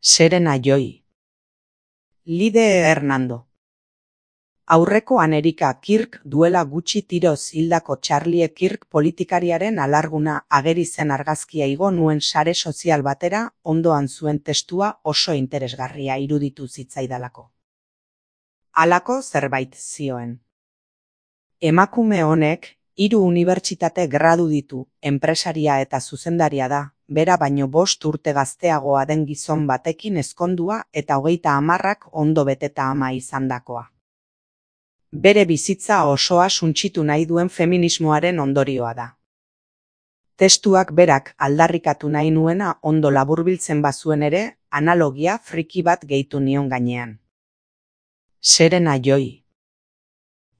Serena Joy. Lide Hernando. Aurrekoan Erika Kirk duela gutxi tiroz hildako Charlie Kirk politikariaren alarguna ageri zen argazkia igo nuen sare sozial batera, ondoan zuen testua oso interesgarria iruditu zitzaidalako. Halako zerbait zioen. Emakume honek 3 unibertsitate gradu ditu, enpresaria eta zuzendaria da, bera baino 5 urte gazteagoa den gizon batekin ezkondua eta 30 ondo beteta ama izandakoa. Bere bizitza osoa suntsitu nahi duen feminismoaren ondorioa da. Testuak berak aldarrikatu nahi nuena ondo laburbiltzen bazuen ere, analogia friki bat gehitu nion gainean. Serena Joy.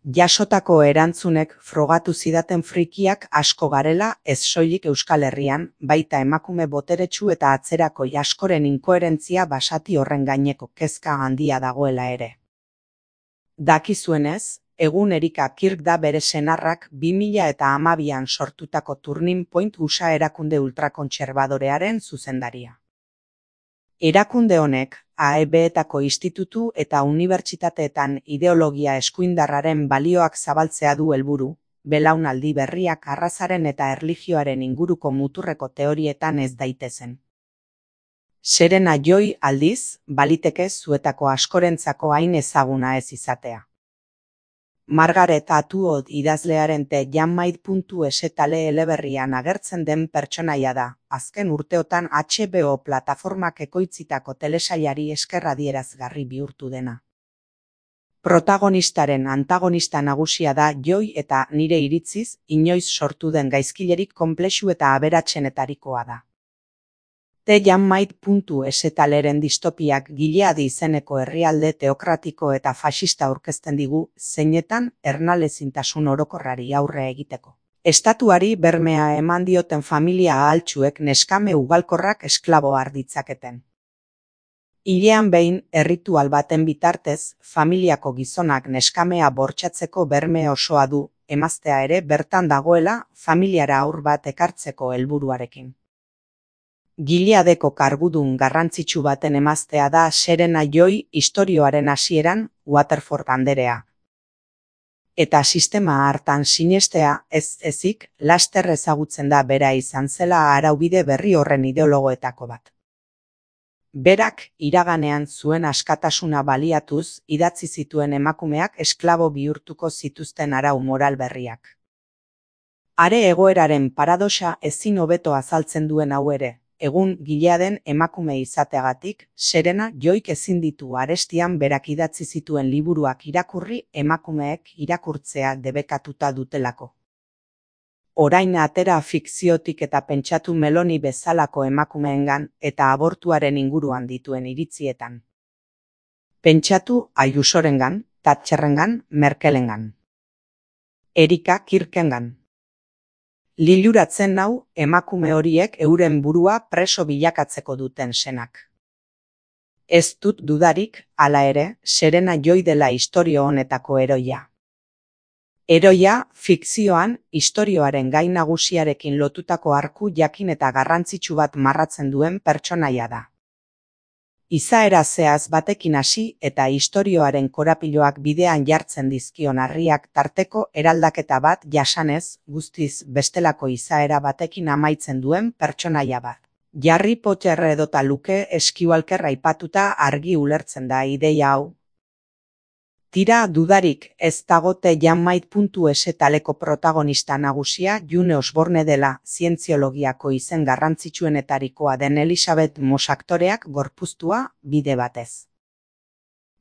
Jasotako erantzunek frogatu zidaten frikiak asko garela ez soilik Euskal Herrian, baita emakume boteretsu eta atzerakoi askoren inkoherentzia basati horren gaineko kezka handia dagoela ere. Dakizuenez, egun Erika Kirk da bere senarrak 2012an sortutako Turning Point USA erakunde ultrakontserbadorearen zuzendaria. Erakunde honek, AEB-etako institutu eta unibertsitateetan ideologia eskuindarraren balioak zabaltzea du helburu, belaunaldi berriak arrazaren eta erlijioaren inguruko muturreko teorietan ez daitezen. Serena Joy aldiz, baliteke zuetako askorentzako hain ezaguna ez izatea. Margaret Atwood idazlearen The Handmaid.es eleberrian agertzen den pertsonaia da, azken urteotan HBO plataformak ekoitzitako telesailari esker adierazgarri bihurtu dena. Protagonistaren antagonista nagusia da Joy eta nire iritziz, inoiz sortu den gaizkilerik konplexu eta aberatsenetarikoa da. The Handmaid.es leren distopiak Gileadi izeneko herrialde teokratiko eta fasista aurkezten digu, zeinetan ernalezintasun orokorrari aurre egiteko. Estatuari bermea eman dioten familia ahaltsuek neskame ugalkorrak esklabo har ditzaketen. Hilean behin, erritual baten bitartez, familiako gizonak neskamea bortxatzeko berme osoa du, emaztea ere bertan dagoela, familiara haur bat ekartzeko helburuarekin. Gileadeko kargudun garrantzitsu baten emaztea da Serena Joy istorioaren hasieran, Waterford anderea. Eta sistema hartan sinestea ez ezik, laster ezagutzen da bera izan zela araubide berri horren ideologoetako bat. Berak iraganean zuen askatasuna baliatuz idatzi zituen emakumeak esklabo bihurtuko zituzten arau moral berriak. Are egoeraren paradoxa ezin hobeto azaltzen duen hau ere. Egun Gileaden emakume izateagatik, Serena Joyk ezin ditu arestian berak idatzi zituen liburuak irakurri emakumeek irakurtzea debekatuta dutelako. Orain atera fikziotik eta pentsatu Meloni bezalako emakumeengan eta abortuaren inguruan dituen iritzietan. Pentsatu Ayusorengan, Thatcherrengan, Merkelengan. Erika Kirkengan. Liluratzen nau emakume horiek euren burua preso bilakatzeko duten senak. Ez dut dudarik, hala ere, Serena Joy dela istorio honetako heroia. Heroia, fikzioan, istorioaren gai nagusiarekin lotutako arku jakin eta garrantzitsu bat marratzen duen pertsonaia da. Izaera zehaz batekin hasi eta istorioaren korapiloak bidean jartzen dizkion harriak tarteko eraldaketa bat jasanez, guztiz bestelako izaera batekin amaitzen duen pertsonaia bat. Harry Potter edota Luke Skywalker aipatuta argi ulertzen da ideia hau. Tira dudarik ez dago The Handmaid.es taleko protagonista nagusia June Osborne dela, zientziologiako izen garrantzitsuenetarikoa den Elizabeth Moss aktoreak gorpuztua bide batez.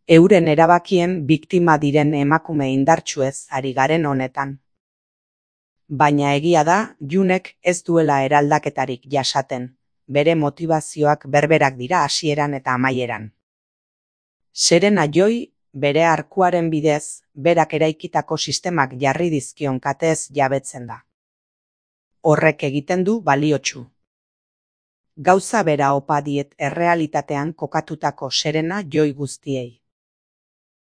Euren erabakien biktima diren emakume indartsuez ari garen honetan. Baina egia da, Junek ez duela eraldaketarik jasaten, bere motivazioak berberak dira hasieran eta amaieran. Serena Joy, bere arkuaren bidez, berak eraikitako sistemak jarri dizkion katez jabetzen da. Horrek egiten du baliotsu. Gauza bera opa diet errealitatean kokatutako Serena Joy guztiei.